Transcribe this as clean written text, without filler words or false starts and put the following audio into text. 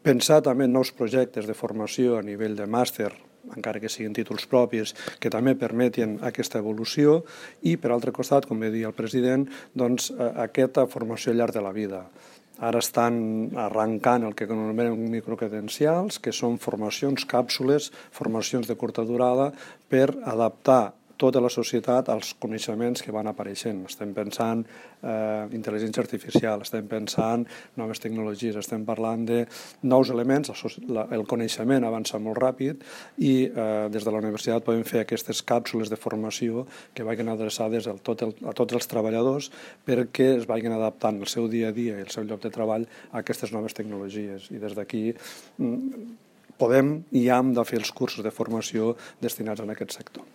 Pensar també en nous projectes de formació a nivell de màster, encara que siguin títols propis, que també permetin aquesta evolució i, per altre costat, com bé deia el president, doncs, aquesta formació al llarg de la vida. Ara estan arrencant el que anomenem microcredencials, que són formacions, càpsules, formacions de curta durada per adaptar tota la societat als coneixements que van apareixent. Estem pensant intel·ligència artificial, estem pensant noves tecnologies, estem parlant de nous elements, el coneixement avança molt ràpid i des de la universitat podem fer aquestes càpsules de formació que vagin adreçades a tots els treballadors perquè es vagin adaptant el seu dia a dia i el seu lloc de treball a aquestes noves tecnologies. I des d'aquí podem i hem de fer els cursos de formació destinats a aquest sector.